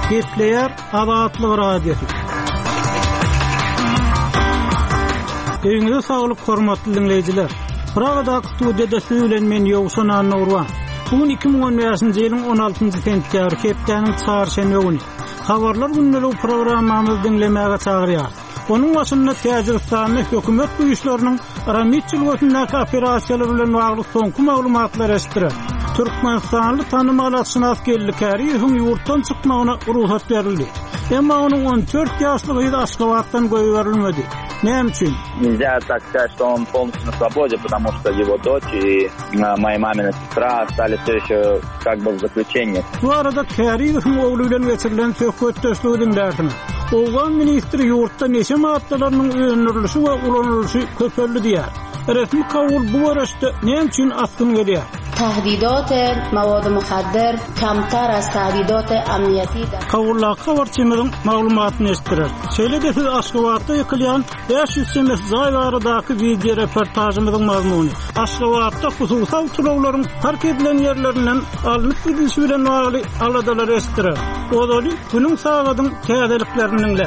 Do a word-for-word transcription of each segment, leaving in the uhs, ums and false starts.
Gepleýär Azatlyk Radiosy. Öýüňize saglyk hormatly dinleýjiler. Pragadaky studiýada siz bilen men Ýowşan Annagurban. Bu gün iki müň on bäşinji ýylyň on altynjy sentýabry, hepdäniň çarşenbe güni. Habarlar gündeligi programmamyzy diňlemäge çagyrýarys. Onuň başynda Täjigistanda hökümet güýçleriniň Ramit jülgesindäki operasiýalar bilen bagly soňky maglumatlar eşitdirer. Türkmenistanly tanymal atşynas Geldi Käriýewiň ýurtdan çykmagyna rugsat berildi. Emma onuň on dört ýaşly gyzy Aşgabatdan goýberilmedi. Näme üçin? Нельзя так сказать, что он полностью на свободе, потому что его дочь и моя мамина сестра остались все еще как бы в заключении. Bu arada Käriýewiň ogly bilen geçirilen söhbetdeşligi diňlärsiňiz. Owgan ministri ýurtda neşe maddalarynyň öndürilişi we ulanylyşy köpeldi diýär. Resmi Kabul bu görüşde näme üçin asgyn gelýär? Tahdidat mawad muhaddir kamtar az tahdidat amniyati Kabuldaky habarçymyzyň maglumatyny eşitdirer. Şeýle-de siz Aşgabatda ýykylýan bäş ýüz çemesi jaý baradaky video reportajymyzyň mazmuny. Aşgabatda hususy awtoulaglaryň park edilen ýerlerinden alnyp gidilişi bilen bagly aladalar eşitdirer. Ozaly günüň sagadyň täzeliklerini diňle.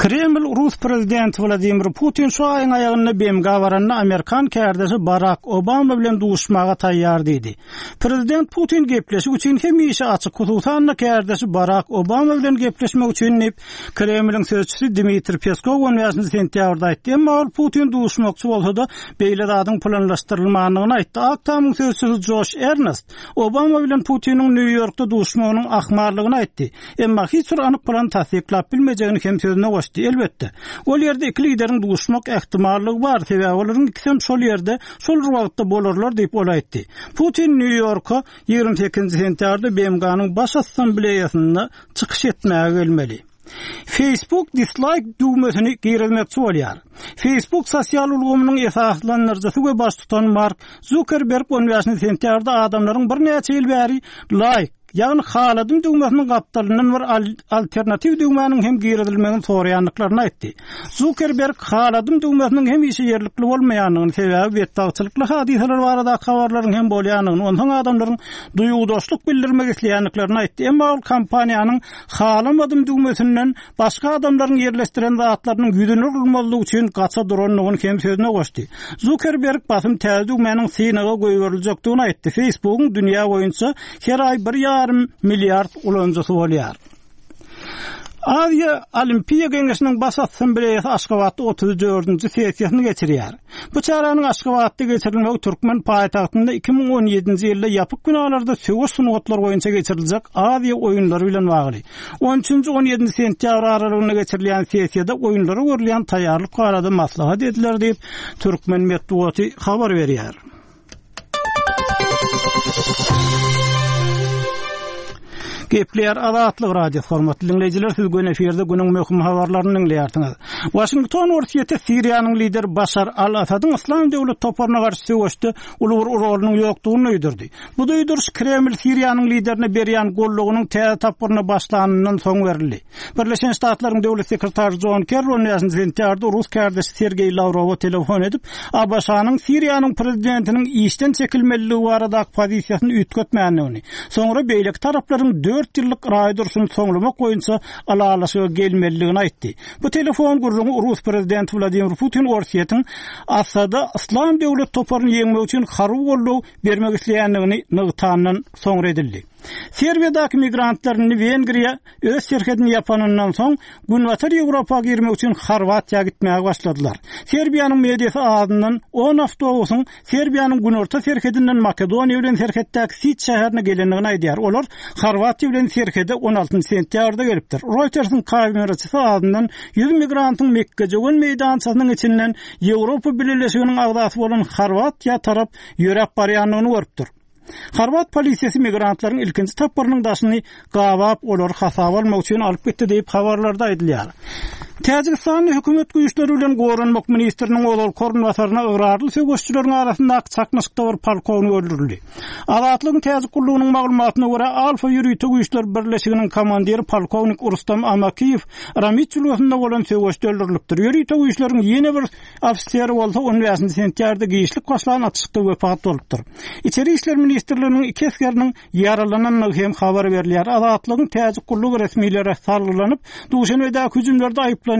Kreml Rus prezidenti Vladimir Putin şu aýyň aýagynda B M G baranda Amerikan kärdeşi Barack Obama bilen duşmaga taýýar diýdi. Prezident Putin gepleşik üçin hemişe açyk, hususan-da kärdeşi Barack Obama bilen gepleşmek üçin diýip, Kremliň sözçüsi Dmitri Peskov on bäşinji sentýabrda aýtdy. Emma ol Putin duşmakçy bolsa-da beýle zadyň planlaşdyrylmandygyny aýtdy. Ak Tamyň sözçüsi Josh Earnest Obama bilen Putiniň Nýu-Ýorkda duşmagynyň ahmallygyny aýtdy. Emma hiç bir anyk plan tassyklap bilmejegini hem sözüne goşdy. Elbetde, ol ýerde iki lideriň duşmak ähtimallygy bar, sebäbi olaryň ikisi hem şol ýerde şol bir wagtda bolarlar diýip ol aýtdy. Putin Nýu-Ýorka ýigrimi sekizinji sentýabrda B M G-nyň baş assambleýasynda çykyş etmäge gelmeli. Facebook dislike düwmesini girizmekçi bolýar. Facebook sosial ulgamynyň esaslandyryjysy we baştutan Mark Zuckerberg on bäşinji sentýabrda adamlaryň birnäçe ýyl bäri like, ýagny haladym düwmesiniň gapdalyndan bir al-, alternatiw düwmäniň hem girizilmegini soraýandyklaryny aýtdy. Zuckerberg haladym düwmesiniň hemişe ýerlikli bolmaýandygyny, sebäbi betbagtçylykly hadysalar baradaky habarlaryň hem bolýandygyny, onsoň adamlaryň duýgudaşlyk bildirmek isleýändiklerini aýtdy. Emma ol kompaniýanyň halamadym düwmesinden başga adamlaryň ýerleşdiren zatlarynyň ýüzüne urulmazlygy üçin gaça durandygyny hem sözüne goşdy. Zuckerberg basym täze düwmäniň synaga goýberiljekdigini aýtdy. Facebookyň dünýä boýunça her aý bir ýarym milliard ulanyjysy bolýar. Aziýa Olimpiýa Geňeşiniň baş assambleýasy Aşgabatda otuz dördünji sessiýasyny geçirýär. Bu çäräniň Aşgabatda geçirilmegi Türkmen paýtagtynda iki müň on ýedinji ýylda ýapyk binalarda söweş sungatlary boýunça geçiriljek Aziýa oýunlary bilen bagly. On üçünji on ýedinji sentýabr aralygynda geçirilýän sessiýada oýunlara görülýän taýýarlyk barada maslahat ediler diýip Türkmen metbugaty habar berýär. Gepleýär Azatlyk Radiosy hormatly dinleýjiler, siz gün efirde günüň möhüm habarlaryny diňleýärsiňiz. Washington Orsýeti Siriýanyň lideri Başar al-Asadyň Yslam döwlet toparyna garşy söweşde uly bir rolunyň ýokdugyny duýdurdy. Bu duýduryş Kreml Siriýanyň liderine berýän gollugynyň täze tapgyryna başlanyndan soň berildi. Birleşen Ştatlaryň döwlet sekretary John Kerry on bäşinji sentýabrda Rus kärdeşi Sergeý Lawrowa telefon edip, A B Ş-nyň Siriýanyň prezidentiniň işden çekilmeliligi baradaky pozisiýasyny üýtgetmändigini, soňra beýleki taraplaryň dört ýyllyk raý durşuny soňlamak boýunça ylalaşyga gelmelidigini aýtdy. Bu telefon gürrüňi Rus prezidenti Vladimir Putin Orsýetiň Asada Yslam döwlet toparyny ýeňmek üçin harby goldaw bermek isleýändigini nygtandan soňra edildi. Serbiýadaky migrantlaryny Wengriýa öz serhedini ýapanyndan soň Günbatar Ýewropa girmek üçin Horwatiýa gitmäge başladylar. Serbiýanyň mediasy adyndan on awtobusyň Serbiýanyň günorta serhedinden Makedoniýa bilen serhetdäki Sit şäherine gelendigini aýdýar. Olar Horwatiýa bilen serhede on altynjy sentýabrda gelipdir. Reuters'ın kameraçysy adyndan ýüz migrantyň Mekgejöwen meýdançasynyň içinden Ýewropa Bileleşiginiň agzasy bolan Horwatiýa tarap ýöräp barýandygyny görüpdir. Horwat polisiýasy migrantlaryň ilkinji tapgyrynyň daşyny gabap, olary hasaba almak üçin alyp gitdi diýip habarlarda aýdylýar. Täjigistanda hökümet güýçleri bilen goranmak ministriniň ozalky orunbasaryna ygrarly söweşçileriň arasyndaky çaknyşykda bir polkownik öldürildi. Azatlygyň Täjik gullugynyň maglumatyna görä Alfa ýörite güýçler birleşiginiň komandiri polkownik Rustam Amakiýew Ramit jülgesinde bolan söweşde öldürilipdir. Ýörite güýçleriň ýene bir ofiseri bolsa on bäşinji sentýabrda giçlik başlan atyşykda wepat bolupdyr. Içeri işler ministrliginiň iki esgeriniň ýaralanandygy hem habar berilýär. Azatlygyň Täjik gullugy resmilere salgylanyp, Duşenbedäki hüjümlerde aýyplanýan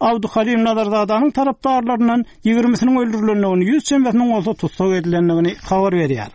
Abduhalim Nazarzadanyň tarapdarlaryndan ýigrimisiniň öldürilendigini, ýüz çemesiniň bolsa tussag edilendigini habar berýär.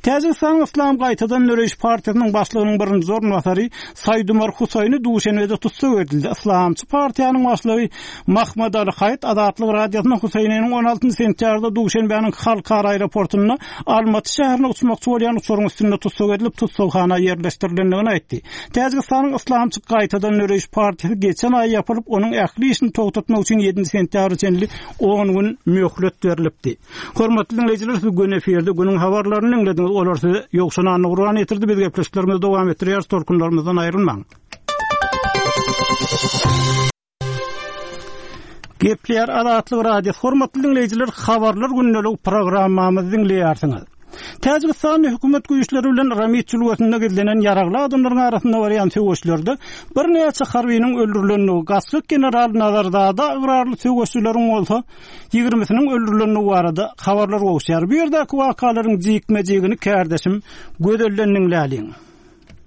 Täjigistanyň Islam gaýtadan döreýiş partiýasynyň başlygynyň birinji orunbasary Saýdumar Husaýny Duşenbede tussag edildi. Islamçy partiýanyň başlygy Mahmad Ali Haýt Azatlyk radiosyna Husaýnynyň on altynjy sentýabrda Duşenbäniň halkara aeroportunda Almaty şäherine uçmakçy bolýan uçaryň üstünde tussag edilip tussaghana ýerleşdirilendigini aýtdy. Täjigistanyň Islamçy gaýtadan döreýiş partiýasy geçen aý ýapylyp, onuň ähli işini togtatmak üçin ýedinji sentýabra çenli on gün möhlet berilipdi. Hormatly dinleýjiler, siz gün efirde günüň habarlaryny diňlediniz. Olar size Ýowşan Anna Gurban getirdi. Biz gepleşiklerimizi dowam etdirýäris. Tolkunlarymyzdan aýrylmaň. Gepleýär Azatlyk Radiosy. Hormatly dinleýjiler, habarlar gündelik programmamyzy diňleýärsiňiz. Täjigistanda hökümet güýçleri bilen Ramit jülgesinde gizlenen ýaragly adamlaryň arasynda barýan söweşlerde birnäçe harbynyň öldürilendigi, gaçgak general Nazarzada ygrarly söweşçileriň bolsa ýigrimisiniň öldürilendigi barada habarlar gowuşýar. Bu ýerdäki wakalaryň jikme-jigini kärdeşim Gözelden diňläliň.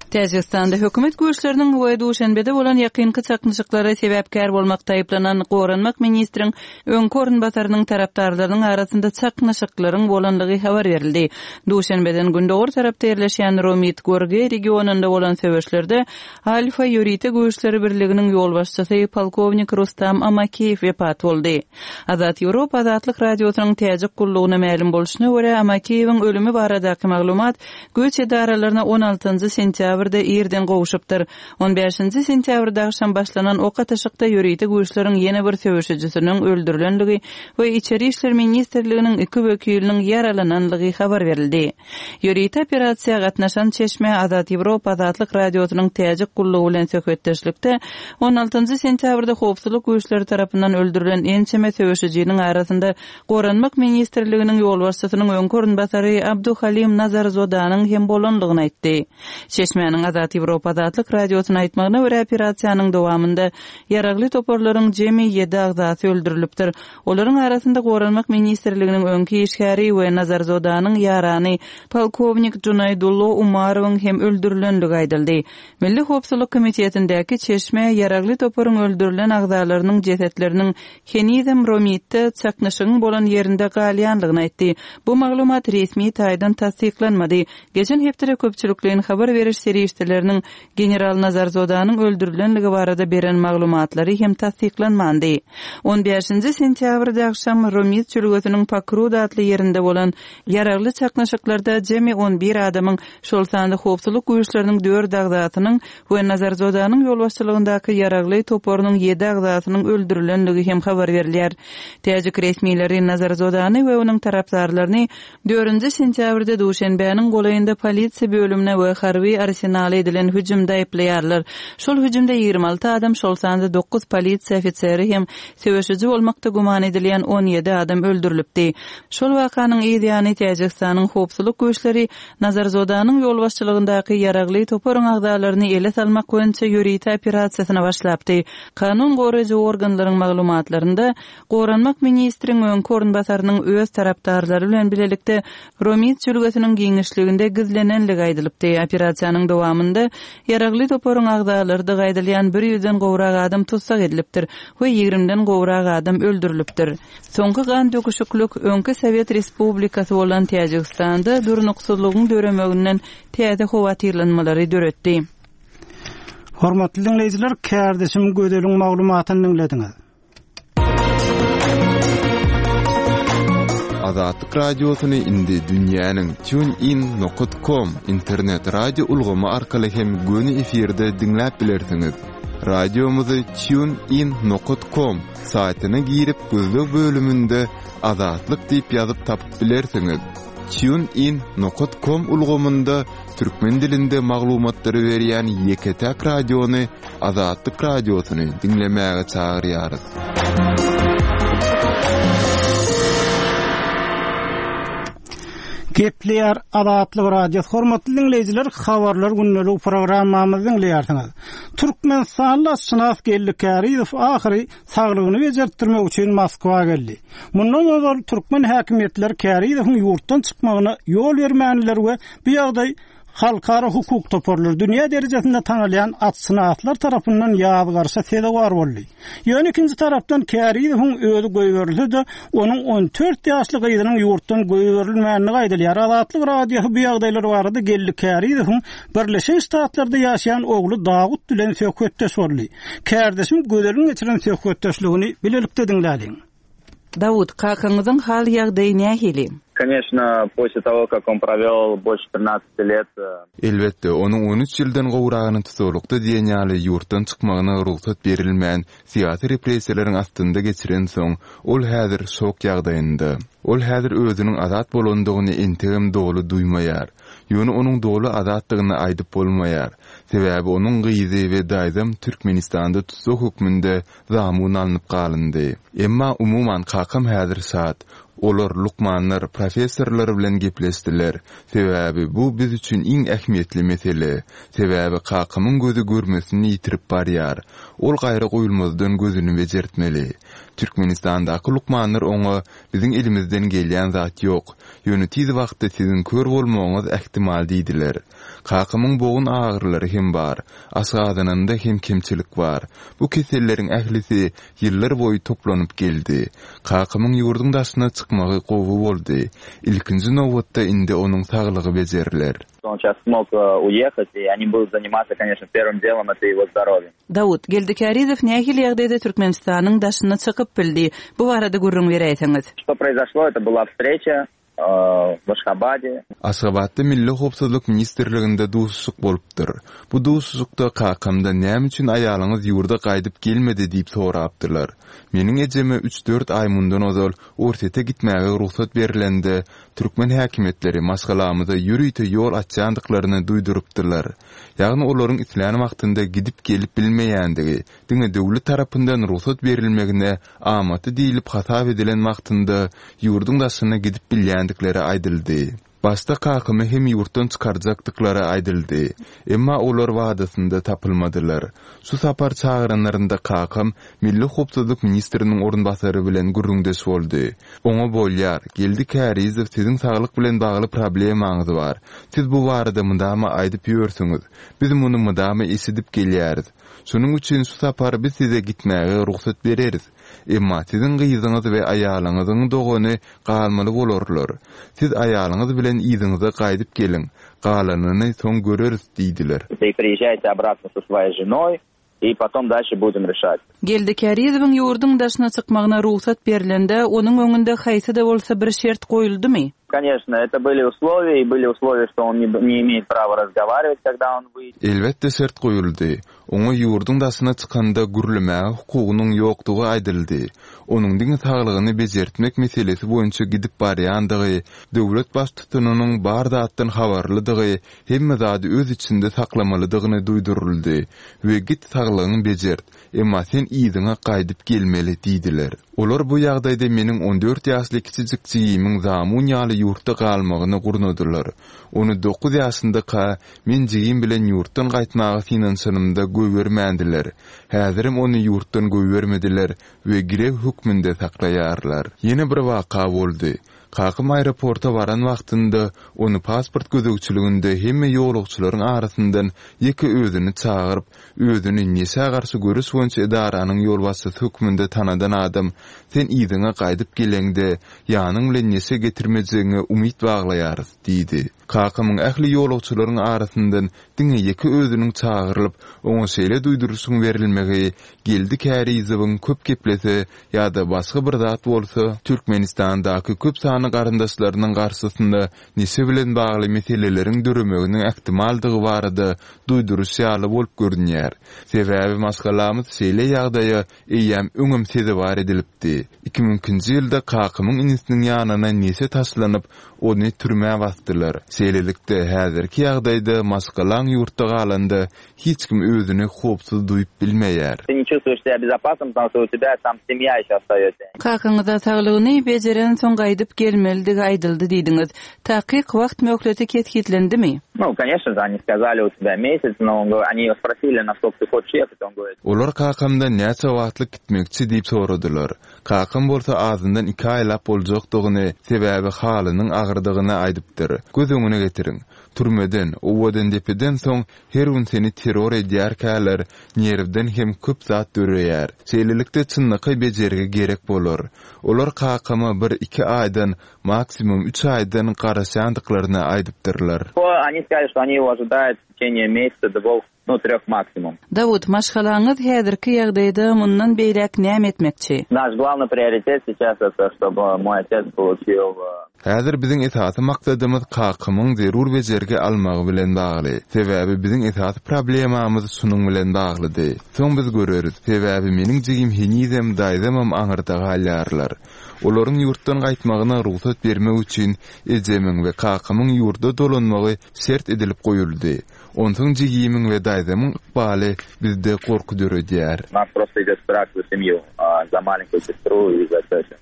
Täjigistanda hökümet güýçleriniň we Duşenbede bolan ýakynky çaknyşyklara sebäpkär bolmak taýyplanan goranmak ministriň öňki orunbasarynyň tarapdarlarynyň arasynda çaknyşyklaryň bolanlygy habar berildi. Duşenbeden gündogar tarapda ýerleşýän Romit Gorge regionynda bolan söweşlerde Alfa ýörite güýçleri birliginiň ýolbaşçysy polkownik Rustam Amakiýew wepat boldy. Azat Ýewropa Azatlyk Radiosynyň Täjik gullugyna mälim bolşuna görä Amakiýewiň ölümi baradaky maglumat güýç edaralaryna on altynjy sentýabrda irden gowşupdyr. on bäşinji sentýabrda agşam başlanan ok atyşykda ýörite güýçleriň ýene bir söweşijisiniň öldürilenligi we Içeri işler ministrliginiň iki wekiliniň ýaralananlygy habar berildi. Ýörite operasiýa gatnaşan çeşme Azat Ýewropa Azatlyk Radiosynyň Täjik gullugy bilen söhbetdeşlikde on altynjy sentýabrda howpsuzlyk güýçleri tarapyndan öldürilen ençeme söweşijiniň arasynda Goranmak ministrliginiň ýolbaşçysynyň öňki orunbasary Abduhalim Nazarzodanyň hem bolanlygyny aýtdy. Çeşmäniň Azat Ýewropa Azatlyk Radiosyna aýtmagyna görä operasiýanyň dowamynda ýaragly toparlaryň jemi ýedi agzasy öldürilipdir. Olaryň arasynda Goranmak ministrliginiň öňki işgäri we Nazarzodanyň ýarany polkownik Junaydullo Umarowyň hem öldürilenligi aýdyldy. Milli Howpsuzlyk Komitetindäki çeşme ýaragly toparyň öldürilen agzalarynyň jesetleriniň henizem Romitde çaknyşygyň bolan ýerinde galýanlygyny aýtdy. Bu maglumat resmi taýdan tassyklanmady. Geçen hepdede köpçülikleýin habar beriş serişdeleriniň General Nazarzodanyň öldürilenligi barada beren maglumatlary hem tassyklanmandy. on bäşinji sentýabrda agşam Romit jülgesiniň Pakrud atly ýerinde bolan ýaragly çaknyşyklarda jemi on bir adamyň, şol sanda howpsuzlyk güýçleriniň dört agzasynyň we Nazarzodanyň ýolbaşçylygyndaky ýaragly toparynyň ýedi agzasynyň öldürilenligi hem habar berilýär. Täjik resmileri Nazarzodany we onuň tarapdarlaryny dördünji sentýabrda Duşenbäniň golaýynda polisiýa bölümine we harby arsenala edilen hüjümde aýyplaýarlar. Şol hüjümde ýigrimi alty adam, şol sanda dokuz polisiýa ofiseri hem söweşiji bolmakda güman edilýän on ýedi adam öldürilipdi. Şol wakanyň ýany Täjigistanyň howpsuzlyk güýçleri Nazarzodanyň ýolbaşçylygyndaky ýaragly toparyň agzalaryny ele salmak boýunça ýörite operasiýasyna başlapdy. Kanun goraýjy organlaryň maglumatlarynda Goranmak ministriň öňki orunbasarynyň öz tarapdarlary bilen bilelikde Romit jülgesiniň giňişliginde gizlenenligi aýdylypdy. Operasiýanyň dowamynda ýaragly toparyň agzalary da gaýdylýan bir ýüzden gowrak adam tussag edilipdir we ýigrimden gowrak adam öldürilipdir. Soňky gan döküşiklik öňki Sowet Respublikasy bolan Täjigistanda durnuksyzlygyň döremeginden täze howatyrlanmalary döretdi. Hormatly dinleýjiler, kärdeşim Gözeliň maglumatyny diňlediňiz. Azatlyk Radiosyny indi dünýäniň tunein nokta com internet radio ulgamy arkaly hem göni efirde diňläp bilersiňiz. Radiomyzy tunein nokta com saýtyna girip gözleg bölüminde Azatlyk diýip ýazyp tapyp bilersiňiz. TuneIn nokat com ulgamynda türkmen dilinde maglumatlary berýän ýeke-täk radiony Azatlyk Radiosyny diňlemäge çagyrýarys. Gepleýär Azatlyk Radiosy. Hormatly diňleýjiler, habarlar gündelik programmamyzy diňleýärsiňiz. Türkmenistanly atşynas Geldi Kärizow ahyry saglygyny bejertdirmek üçin Moskwa geldi. Mundan ozal türkmen häkimiýetleri Kärizowyň ýurtdan çykmagyna ýol bermändiler we bu ýagdaý halkara hukuk toparlary dünýä derejesinde tanalýan atşynaslar tarapyndan ýazgarşa sezewar boldy. Ýöne ikinji tarapdan Kärizowyň özi goýberilse-de, onuň on dört ýaşly gyzynyň ýurtdan goýberilmänligi aýdylýar. Azatlyk Radiosy bu ýagdaýlar barada Geldi Kärizowyň Birleşen Ştatlarda ýaşaýan ogly Dawut bilen söhbetdeş boldy. Kärdeşim Gözeliň geçiren söhbetdeşligini bilelikde diňläliň. Dawut, kakaňyzyň hal ýagdaýy nähili? Конечно, после того, как он провел больше тринадцати лет, э, Elbetde, onuň on üç ýyldan gowragyny tutuklykda diýen ýaly ýurtdan çykmagyna rugsat berilmän, syýasy repressiýalaryň astynda geçiren soň, ol häzir şok ýagdaýynda. Ol häzir özüniň azat bolandygyny entegem doly duýmaýar. Ýöne onuň doly azatdygyny aýdyp bolmaýar. Sebäbi onuň gyzy we daýzam Türkmenistanda tutuk hökmünde zamun alnyp galyndy. Emma umuman kakam häzir şat. Olar lukmanlar, professorlar bilen gepleşdiler. Sebäbi bu biz üçin iň ähmiýetli mesele. Sebäbi kakamyň gözi görmesini ýitirip barýar. Ol gaýra goýulmazdan gözüni bejertmeli. Türkmenistandaky lukmanlar oňa biziň elimizden gelýän zat ýok. Ýöne tiz wagtda siziň kör bolmagyňyz ähtimal diýdiler. Kakamyň bogun agyrlary hem bar. Aşgazanynda hem kemçilik bar. Bu keselleriň ählisi ýyllar boýy toplanyp geldi. Kakamyň ýurduň daşyna çykmagy gowy boldy. Ilkinji nobatda indi onuň saglygy bejeriler. Он сейчас смог, э, уехать, и они будут заниматься, конечно, первым делом это его здоровьем. Dawut, Geldi Kärizow nähili ýagdaýda Türkmenistanyň daşyna çykyp bildi? Bu barada gürrüň beräýseňiz. Что произошло? Это была встреча, э, в Ашхабаде. Aşgabatda Milli Howpsuzlyk Ministrliginde duşuşyk bolupdyr. Bu duşuşykda kakamda näme üçin aýalyňyz ýurda gaýdyp gelmedi diýip sorapdylar. Meniň ejeme üç-dört aý mundan ozal Orsýete gitmäge rugsat berilende türkmen häkimiýetleri maşgalamyza ýörite ýol açýandyklaryny duýdurypdylar. Ýagny olaryň islän wagtynda gidip gelip bilmeýändigi, diňe döwlet tarapyndan rugsat berilmegine amatly diýilip hasap edilen wagtynda ýurduň daşyna gidip bilýändikleri aýdyldy. Başda kakamy hem ýurtdan çykarjakdyklary aýdyldy. Emma olar wadasynda tapylmadylar. Şu sapar çagyranlarynda kakam Milli Howpsuzlyk Ministriniň orunbasary bilen gürrüňdeş boldy. Oňa bolýar, Geldi Kärizow siziň saglyk bilen bagly problemaňyz bar. Siz bu barada mydama aýdyp ýörsüňiz. Biz muny mydama eşidip gelýäris. Şonuň üçin şu sapar biz size gitmäge rugsat bereris. Emma siziň gyzyňyz we aýalyňyzyň dogany galmaly bolarlar. Siz aýalyňyz bilen yzyňyza gaýdyp geliň. Galanyny soň göreris diýdiler. Ты приезжаете обратно со своей женой и потом дальше будем решать. Geldi Kärizowyň ýurduň daşyna çykmagyna rugsat berilende, onuň öňünde haýsy-da bolsa bir şert goýuldymy? Конечно, это были условия, и были условия, что он не, не имеет права разговаривать, когда он выйдет. Elbetde şert goýuldy. Oňa ýurduň daşyna çykanda gürlemäge hukugynyň ýokdugy aýdyldy. Onuň diňe saglygyny bejertmek meselesi boýunça gidip barýandygy, döwlet baştutanynyň bar zatdan habarlydygy, hemme zady öz içinde saklamalydygyny duýduryldy we git saglygyňy bejert, emma sen yzyňa gaýdyp gelmeli diýdiler. Olar bu ýagdaýda meniň on dört ýaşly kiçijik jigimiň zamun ýaly ýurtda galmagyny gurnadylar. Ony dokuz ýaşyndaka men jigim bilen ýurtdan gaýtmaga synanyşanymda goýbermändiler. Häzirem ony ýurtdan goýbermediler we girew hökmünde saklaýarlar. Ýene bir waka boldy. Kakam aeroporta baran wagtynda ony pasport gözegçiliginde hemme ýolagçylaryň arasyndan ýeke özüni çagyryp, özüni neşä garşy görüş boýunça edaranyň ýolbaşçysy hökmünde tanadan adam, sen yzyňa gaýdyp geleňde ýanyň bilen neşe getirmejegiňe umyt baglaýarys diýdi. Kakamyň ähli ýolagçylaryň arasyndan Diňe ýeke özüniň çagyrylyp, oňa şeýle duýduryşyň berilmegi Geldi Kärizowyň köp geplese ýa-da başga bir zat bolsa, Türkmenistandaky köp sanly garyndaşlarynyň garşysynda neşe bilen bagly meseleleriň döremeginiň ähtimaldygy barada duýduryş ýaly bolup görünýär. Sebäbi maşgalamyz şeýle ýagdaýa eýýäm öňem sezewar edilipdi. Iki müň ikinji ýylda kakamyň inisiniň ýanyna neşe taşlanyp, ony türmä basdylar. Şeýlelikde, häzirki ýagdaýda maşgalaň ýurtda galanda hiç kim özüni howpsuz duýup bilmeýär. Ты не чувствуешь себя безопасным, потому что у тебя там семья еще остается. Kakaňyza saglygyny bejerensoň gaýdyp gelmelidigi aýdyldy diýdiňiz. Takyk wagt möhleti kesgitlendimi? Ну, конечно же, они сказали, у тебя месяц, но он говорит, они его спросили, на сколько ты хочешь ехать, он говорит, Olar kakamdan näçe wagtlyk gitmekçi diýip soradylar. Kakam bolsa azyndan iki aýlap boljakdygyny, sebäbi halynyň agyrdygyny aýdypdyr. Göz öňüne getiriň. Türmeden, owadan depeden soň her gün seni terror edýärkäler, nerwden hem köp zat döreýär. Şeýlelikde çynlakaý bejergi gerek bolar. Olar kakama bir iki aýdan, maksimum üç aýdan garaşýandyklaryny aýdypdyrlar. Они сказали, что они его ожидают в течение месяца, двух, ну, трех максимум. Dawut, maşgalaňyz häzirki ýagdaýda mundan beýläk näme etmekçi? Наш главный приоритет сейчас это, чтобы мой отец получил э, Häzir biziň esasy maksadymyz kakamyň zerur bejergi almagy bilen bagly. Sebäbi biziň esasy problemamyz şunuň bilen baglydy. Soň biz göreris. Sebäbi meniň jigim henizem daýzamam aňyrda galýarlar. Olaryň ýurtdan gaýtmagyna rugsat bermek üçin ejemiň we kakamyň ýurda dolanmagy şert edilip goýuldy. Onsoň jigimiň we daýzamyň ykbaly bizde gorky döredýär. У нас просто идет страх за семью, а, за маленькую сестру и за тетю.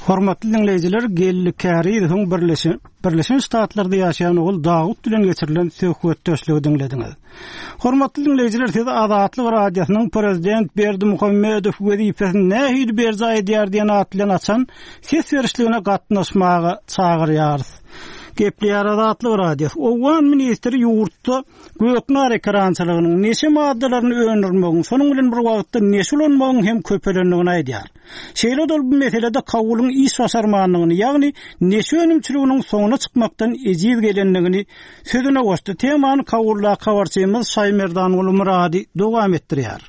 Hormatly dinleýjiler, Geldi Kärizowyň Birleşen Birleşen Ştatlarda ýaşaýan ogul Dawut bilen geçirilen söhbetdeşligi diňlediňiz. Hormatly dinleýjiler, siz Azatlyk Radiosynyň prezident Berdimuhamedow wezipesini nähili berjaý edýär diýen at bilen açan ses berişligine gatnaşmaga çagyrýarys. Gepleýär Azatlyk Radiosy. Owgan ministri ýurtda göknar ekerançylygynyň neşe maddalaryny öndürmegiň, şonuň bilen bir wagtda neşe ulanmagyň hem köpelendigini aýdýar. Şeýle dol bu meselede Kabulyň iş başarmanlygyny, ýagny neşe önümçiliginiň soňuna çykmakdan ejiz gelendigini sözüne goşdy. Temany Kabulda habarçymyz Şaýmerdanguly Murady dowam etdirýär.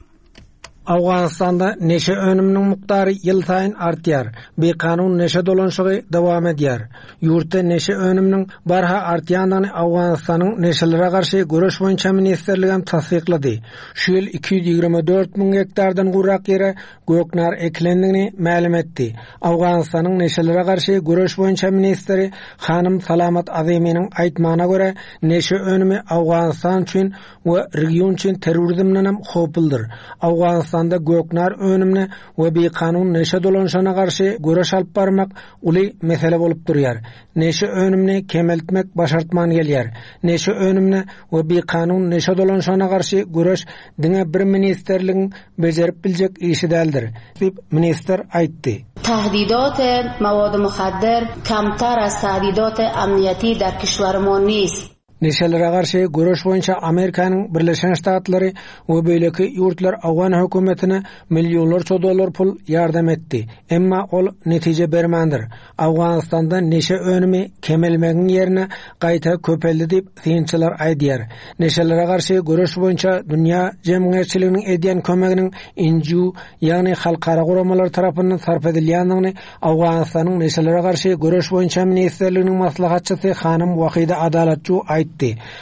Awganystanda neşe önüminiň mukdary ýylsaýyn artýar. Bikanun neşe dolanşygy dowam edýär. Ýurtda neşe önüminiň barha artýandygyny Awganystanyň neşelere garşy göreş boýunça ministrligi hem tassyklady. Şu ýyl iki ýüz ýigrimi dört müň gektardan gowrak ýere göknar ekilendigini mälim etdi. Awganystanyň neşelere garşy göreş boýunça ministri Hanym Salamat Aziminiň aýtmagyna görä, neşe önümi Awganystan üçin we region üçin terrorizmden hem howpludyr. Awganystanda göknar önümine we bikanun neşe dolanşygyna garşy göreş alyp barmak uly mesele bolup durýar. Neşe önümini kemeltmek başartman gelýär. Neşe önümine we bikanun neşe dolanşygyna garşy göreş diňe bir ministerligiň bejerip biljek işi däldir, diýip ministr aýtdy. تهدیدات مواد مخدر کمتر از تهدیدات امنیتی در کشور ما نیست. Neşelere garşy göreş boýunça Amerikanyň Birleşen Ştatlary we beýleki ýurtlar Awgan hökümetine millionlarça dollar pul ýardam etdi. Emma ol netije bermändir. Awganystanda neşe önümi kemelmegiň ýerine gaýta köpeldi diýip synçylar aýdýar. Neşelere garşy göreş boýunça dünýä jemgyýetçiliginiň edýän kömeginiň N G O, ýagny halkara guramalar tarapyndan sarp edilýändigini Awganystanyň neşelere garşy göreş boýunça ministrliginiň maslahatçysy hanym Wahida Adalatçy aýtdy.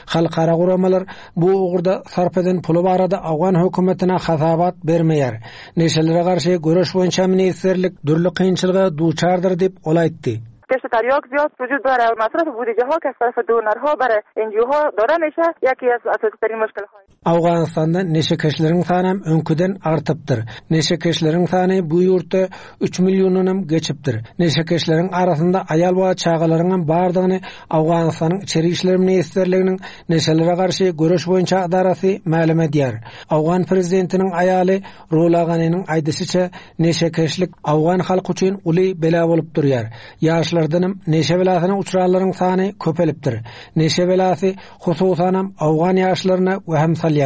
Halkara guramalar bu ugurda sarp eden puly barada Awgan hökümetine hasabat bermeýär. Neşelere garşy göreş boýunça ministrlik dürli kynçylyga duçardyr diýip ol aýtdy. کشت تریاک زیاد وجود داره و مصرف بودجه ها که از طرف دونرها برای N G O ها داده میشه یکی از اساسی ترین مشکل های Awganystanda neşekeşleriň sany hem öňküden artypdyr. Neşekeşleriň sany bu ýurtda üç milliondan hem geçipdir. Neşekeşleriň arasynda aýal we çagalaryň hem bardygyny Awganystanyň Içeri İşler Ministrliginiň neşelere garşy göreş boýunça edarasy mälim edýär. Awgan prezidentiniň aýaly Rula Ganiniň aýdyşyça neşekeşlik Awgan halky üçin uly bela bolup durýar. Ýaşlardan hem neşe belasyna uçranlaryň sany köpelipdir. Neşe belasy hususan hem Awgan ýaşlaryna wehem salýar.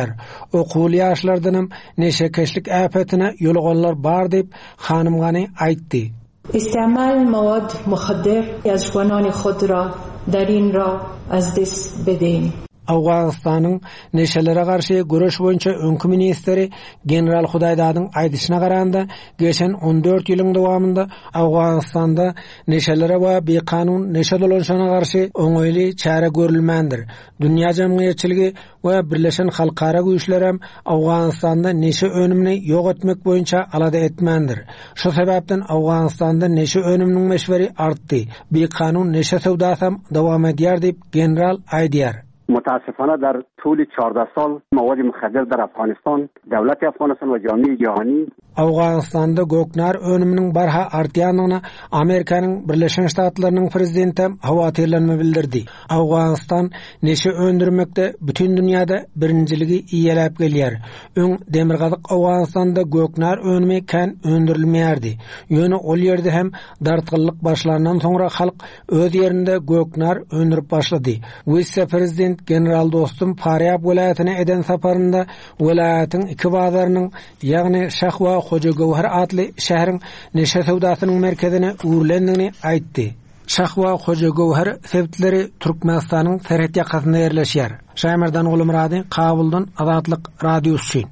Okuwly ýaşlardan hem neşekeşlik äpetine ýoluganlar bar diýip hanym Gani aýtdy. استعمال مواد مخدر از جوانان خود را در این راه از دست بدهیم. Owganystanyň neşelere garşy göreş boýunça öňki ministri General Hudaýdadyň aýdyşyna garanda geçen on dört ýylyň dowamynda Owganystanda neşelere we bikanun neşe dolanşygyna garşy oňaýly çäre görülmändir. Dünýä jemgyýetçiligi we Birleşen Halkara Güýçlerem Owganystanda neşe önümini ýok etmek boýunça alada etmändir. Şu sebäpden Owganystanda neşe önüminiň meşweri artdy. Bikanun neşe söwdasam dowam edýär diýip general aýdýar. متاسفانه در طول چهارده سال مواد مخدر در افغانستان دولت افغانستان و جامعه جهانی Owganystanda göknar önüminiň barha artýandygyna Amerikanyň Birleşen Ştatlarynyň prezidenti howatyrlanma bildirdi. Owganystan neşe öndürmekde bütün dünýäde birinciligi iýeläp gelýär. Öň Demirgazyk Owganystanda göknar önümi kän öndürilmeýärdi. Ýöne ol ýerde hem dartgynlyk başlandan soňra halk öz ýerinde göknar öndürip başlady. Wise-prezident General Dostum Faryab welaýatyna eden saparynda welaýatyň iki bazarynyň, ýagny Şah we Hoja Göwher atly şäheriň neşe söwdasynyň merkezine öwrülendigini aýtdy. Şah we Hoja Göwher sebitleri Türkmenistanyň serhet ýakasynda ýerleşýär. Şaýmerdan Gulmurady, Kabuldan Azatlyk Radiosy.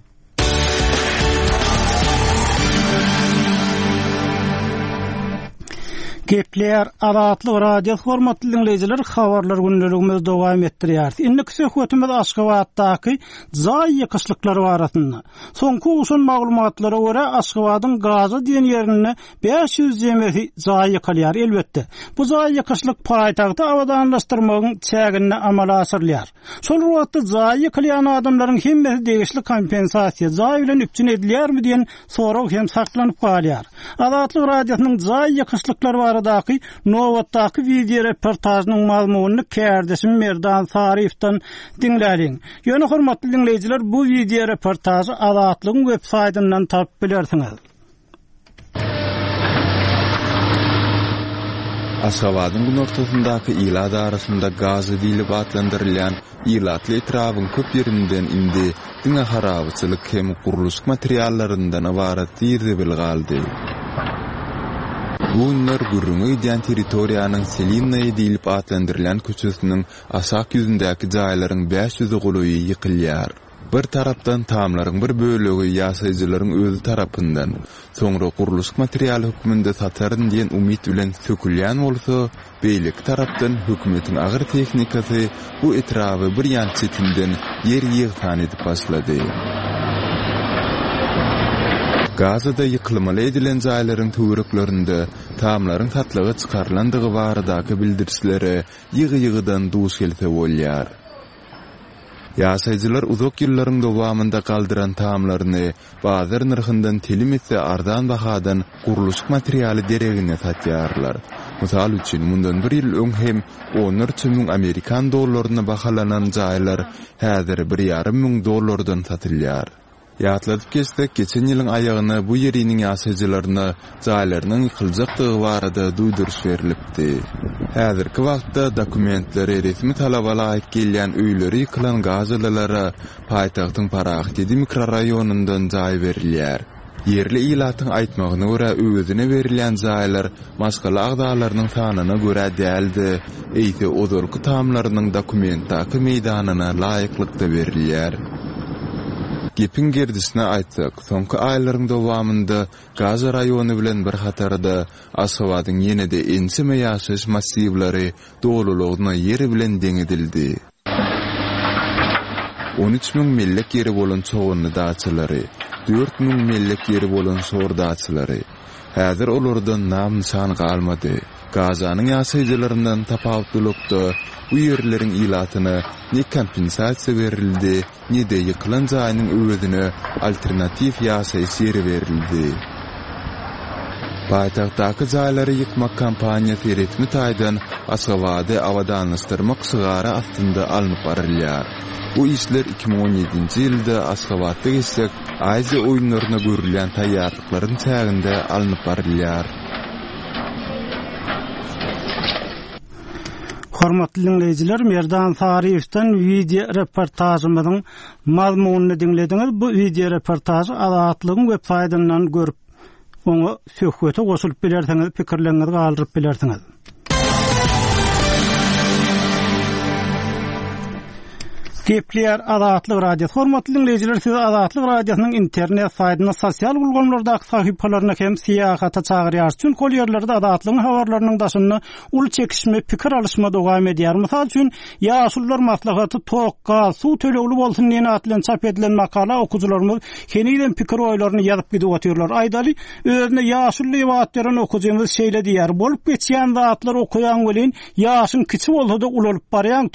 Gepler Azatlyk Radiosy hormatly dinleýjiler, habarlar gündeligimizi dowam etdirýär. Indiki söhbetimiz Aşgabatdaky jaý ýykyşlyklary barasynda. Soňky usun maglumatlara görä Aşgabadyň Gaza diýen ýerinde bäş ýüz jemesi jaý ýykylýar elbetde. Bu jaý ýykyşlyk paýtagty abadanlaşdyrmagyň çäginde amala aşyrylýar. Şol wagtda jaý ýykylýan adamlaryň hemmesi degişli kompensasiýa jaý bilen üpjün edilýärmi diýen sorag hem saklanyp galýar. Azatlyk Radiosynyň jaý ýykyşlyklary baradaky nobatdaky video reportajynyň mazmunyny kärdeşim Merdan Saryýewden diňläliň. Ýöne hormatly dinleýjiler, bu video reportajy Azatlygyň web saýtyndan tapyp bilersiňiz. Aşgabadyň günortasyndaky ilat arasynda Gaza diýlip atlandyrylýan ilatly etrabyň köp ýerinden indi diňe harabaçylyk hem gurluşyk materiallaryndan ybarat zir-zibil galdy. Bu günler gürrüňe gidýän territoriýanyň Selinnaýa diýlip atlandyrylýan köçesiniň aşak ýüzündäki jaýlaryň bäş ýüzi golaýy ýykylýar. Bir tarapdan tamlaryň bir bölegi ýaşaýjylaryň özi tarapyndan, soňra gurluşyk materialy hökmünde sataryn diýen umyt bilen sökülýän bolsa, beýleki tarapdan hökümetiň agyr tehnikasy bu etraby bir ýan çetinden ýer ýygsan edip başlady. Gazada ýykylmaly edilen jaýlaryň töwereklerinde tamlaryň satlyga çykarylandygy baradaky bildirişlere ýygy-ýygydan duş gelse bolýar. Ýaşaýjylar uzak ýyllaryň dowamynda galdyran tamlaryny bazar nyrhyndan telim etse arzan bahadan gurluşyk materialy deregine satýarlar. Mysal üçin, mundan bir ýyl öň hem onlarça müň Amerikan dollaryna bahalanan jaýlar häzir bir ýarym müň dollardan satylýar. Ýatladyp geçsek, geçen ýylyň aýagyna bu ýeriniň ýaşaýjylaryna jaýlarynyň ýykyljakdygy barada duýduryş berilipdi. Häzirki wagtda dokumentleri resmi talaba laýyk gelýän öýleri ýykylan gazalylara paýtagtyň Parahat ýedi mikroraýonyndan jaý berilýär. Ýerli ilatyň aýtmagyna görä özüne berilýän jaýlar maşgala agzalarynyň sanyna görä däldi, eýse ozalky tamlarynyň dokumentdaky meýdanyna laýyklykda berilýär. Gepiň gerdişine aýtsak, soňky aýlaryň dowamynda Gaza raýony bilen bir hatarda Aşgabadyň ýene-de ençeme ýaşaýyş massiwleri dolulygyna ýeri bilen deň edildi. On üç müň mellek ýeri bolan çoganly daçalary, dört müň mellek ýeri bolan şor daçalary. Häzir olardan nam-nyşan galmady. Gazanyň ýaşaýjylaryndan tapawutlylykda bu ýerleriň ilatyna ne kompensasiýa berildi, ne de ýykylan jaýynyň öwezine alternatiw ýaşaýyş ýeri berildi. Paýtagtdaky jaýlary ýykmak kampaniýasy resmi taýdan Aşgabady abadanlaşdyrmak şygary astynda alnyp barylýar. Bu işler iki müň on ýedinji ýylda Aşgabatda geçjek Aziýa oýunlaryna görülýän taýýarlyklaryň çäginde alnyp barylýar. Hormatly dinleýjiler, Merdan Saryýewden video reportajymyzyň mazmunyny diňlediňiz. Bu video reportajy Azatlygyň web saýtyndan görüp, oňa söhbete goşulyp bilersiňiz, pikirleriňizi galdyryp bilersiňiz. Gepleýär Azatlyk Radiosy. Hormatly dinleýjiler, sizi Azatlyk Radiosynyň internet saýtynda sosial ulgamlardaky sahypalaryna hem syýahata çagyrýarys. Çünki ol ýerlerde Azatlygyň habarlarynyň daşynda uly çekişme, pikir alyşma dowam edýär. Mysal üçin, ýaşulular maslahaty tok, gaz, suw tölegli bolsun diýen at bilen çap edilen makala okyjylarymyz henizem pikir oýlaryny ýazyp gidip otyrlar. Aýdaly, özüne ýaşuly diýip at beren okyjymyz şeýle diýýär: "Bolup geçýän zatlar okaýan welin, ýaşyň kiçi bolsa-da ulalyp barýan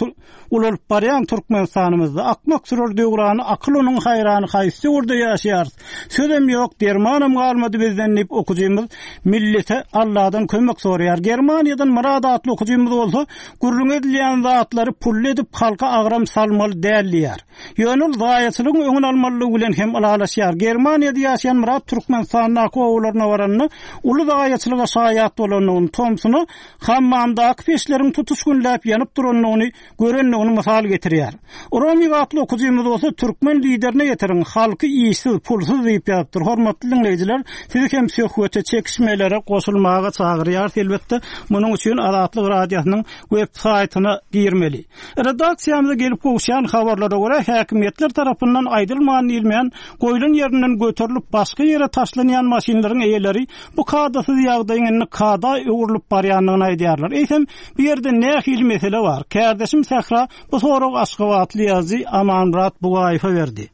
ulalyp barýan Türkmenistanymyzda akmak sürer döwrany, akyl onuň haýrany haýsy döwürde ýaşaýarys? Sözem ýok, dermanam galmady bizden" diýip okyjymyz millete Allahdan kömek soraýar. Germaniýadan Murad atly okyjymyz bolsa, gürrüň edilýän zatlary pully edip halka agram salmaly däl diýär. Ýöne ol zaýaçylygyň öňüni almalylygy bilen hem ylalaşýar. Germaniýada ýaşaýan Murad Türkmenistandaky obalaryna baranda uly zaýaçylyga şaýat bolandygyny, tomsuna hammamdaky peçleriň tutuş günläp ýanyp durandygyny görendigini mysal getirýär. Romig atly okyjymyz bolsa türkmen liderine getiriň, halky işsiz, pulsuz diýip ýazypdyr. Hormatly dinleýjiler, sizi hem söhbete, çekişmelere goşulmaga çagyrýar. Elbetde, munuň üçin Azatlyk Radiosynyň web saýtyna girmeli. Redaksiýamyza gelip gowuşýan habarlara görä, häkimiýetler tarapyndan aýdylman diýilmeýän goýlan ýerinden göterilip başga ýere taşlanýan maşynlaryň eýeleri bu kadasyz ýagdaýyň indi kada öwrülip barýandygyny aýdýarlar. Eýsem, bu ýerde nähili mesele bar? Kärdeşim Sähra bu soragy Aşgabatly ýazyjy Amanmyrat Bugaýewe berdi.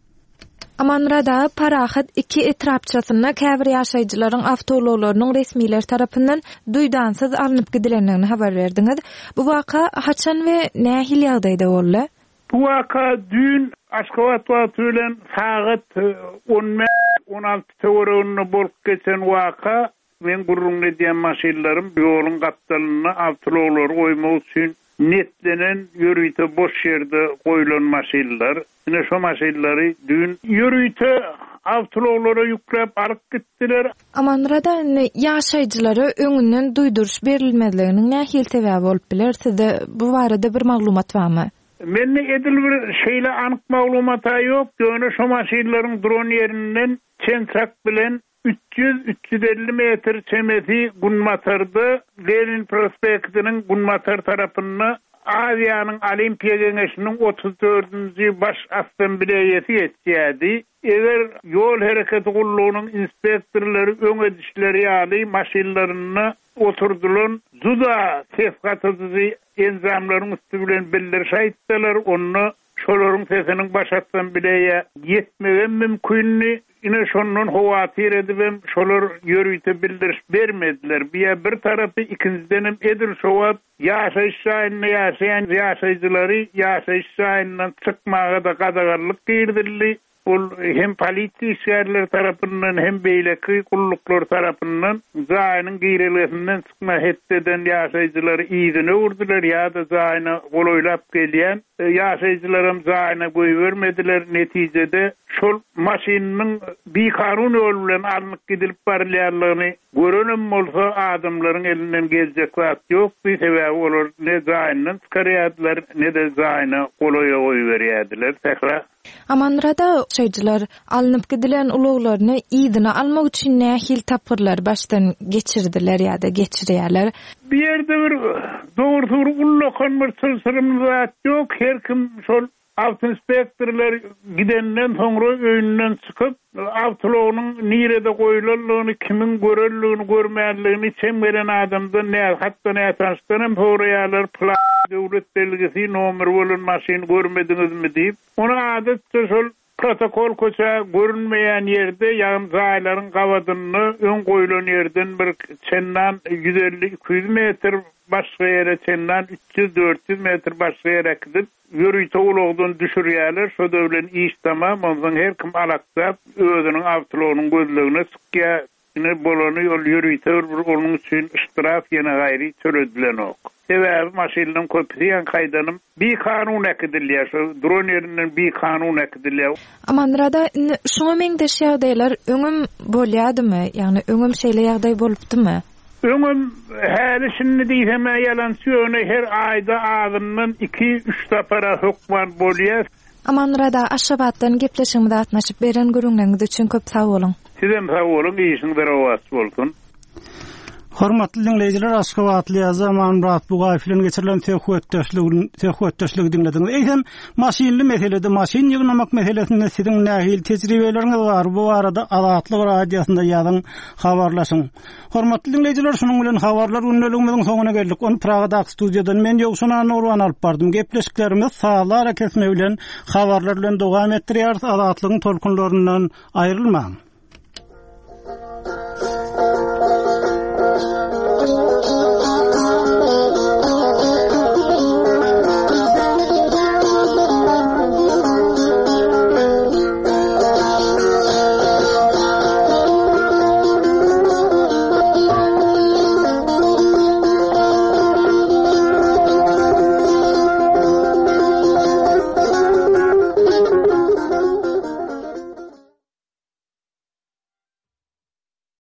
Amanmyrat aga, Parahat iki etrapçasynda käbir ýaşaýjylaryň awtoulaglarynyň resmiler tarapyndan duýdansyz alnyp gidilendigini habar berdiňiz. Bu waka haçan we nähili ýagdaýda boldy? Bu waka düýn Aşgabat wagty bilen sagat on bäş on alty töwereginde bolup geçen waka. Men gürrüň edýän maşynlarym ýoluň gapdalynda awtoulaglary goýmak üçin netlenen ýörite boş ýerde goýlan maşynlar. Ine şo maşynlary düýn ýörite awtoulaglara ýükläp alyp gitdiler. Amanmyrat aga, indi ýaşaýjylara öňünden duýduryş berilmezliginiň nähili sebäbi bolup biler? Sizde bu barada bir maglumat barmy? Mende edil bir şeýle anyk maglumat ýok. Ýöne şo maşynlaryň duran ýerinden çen-çak bilen üç ýüz, üç ýüz elli metr çemesi Günbatarda Lenin prospektiniň Günbatar tarapynda Aziýanyň Olimpiýa Geňeşiniň otuz dördünji baş assambleýasy geçýärdi. Eger ýol hereketi gullugynyň inspektorlary öň edişleri ýaly maşynlarynda oturdylan juda ses gatyjy enjamlaryň üstü bilen bildiriş aýtdylar, onda şolaryň sesiniň baş assambleýa ýetmegi mümkindi. Ine şondan howatyr edibem şolar ýörite bildiriş bermediler. Biýa bir tarapy, ikinjiden hem edil şo wagt ýaşaýyş jaýynda ýaşaýan ýaşaýjylary ýaşaýyş jaýyndan çykmaga da gadaganlyk girdildi. Ol hem polisiýa işgärleri tarapyndan hem beýleki gulluklar tarapyndan jaýynyň girelgesinden çykma hetdeden ýaşaýjylary yzyna öwürdüler ýa-da jaýyna golaýlap gelýän ýaşaýjylaram jaýyna goýbermediler. Netijede şol maşynyň bikanun ýol bilen alnyp gidilip barylýanlygyny görenem bolsa adamlaryň elinden geljek zat ýokdy. Sebäbi olar ne jaýyndan çykarýardylar, ne-de jaýyna golaýa goýberýärdiler. Sähra. Amanmyrat aga, ýaşaýjylar alnyp gidilen ulaglaryny yzyna almak üçin nähili tapgyrlar başdan geçirdiler ýa-da geçirýärler? Bir ýerde bir dogrusu bir ullakan bir çylşyrymly zat ýok. Her kim şol awtoinspektorlar gidenden soňra öýünden çykyp, awtoulagynyň nirede goýulanlygyny, kimiň görenligini, görmänligini çem gelen adamdan, nä, hatda nätanşdan hem soraýarlar, plan döwlet belgisi, nomer bolan maşyny görmediňizmi diýip. Ony adatça şol protokol köçe görünmeýän ýerde, ýagny jaýlaryň gabadynda öň goýulan ýerden bir çendan ýüz elli iki ýüz metr başga ýere, çendan üç ýüz dört ýüz metr başga ýere gidip ýörite ulagdan düşürýärler. Şo da bilen iş tamam, ondan her kim alakdap özüniň awtoulagynyň gözlegine çykýar. Ine bolany ol ýörite bir onuň üçin iştiraf ýene gaýry töledilenok. Sebäbi maşynlaryň köpüsi ýan kaýdanym bikanun äkidilýär. Şo duran ýerinden bikanun äkidilýär. Amanmyrat aga, indi şuňa meňzeş ýagdaýlar öňüm bolýardymy? Ýagny öňüm şeýle ýagdaý bolupdymy? Öňüm häli şindi diýsem ýalançy, ýöne her aýda azyndan iki üç sapara hökman bolýar. Amanmyrat aga, Aşgabatdan gepleşigimize gatnaşyp beren gürrüňleriňiz üçin köp sag boluň. Sizem sag boluň, işiňiz rowaç bolsun. Hormatly dinleýjiler, Aşgabatly ýazyjy Amanmyrat Bugaýew bilen geçirilen söhbetdeşligini söhbetdeşligi diňlediňiz. Eýsem, maşynly meselede, maşyn ýygnamak meselesinde siziň nähili tejribeleriňiz bar? Bu barada Azatlyk radiosynda ýazyň, habarlaşyň. Hormatly dinleýjiler, şunuň bilen habarlar gündeligimiziň soňuna geldik. Ony Pragadaky studiýadan men Ýowşan Annagurban alyp bardym. Gepleşiklerimiz sazly arakesme bilen habarlar bilen dowam etdirýäris. Azatlygyň tolkunlaryndan aýrylmaň.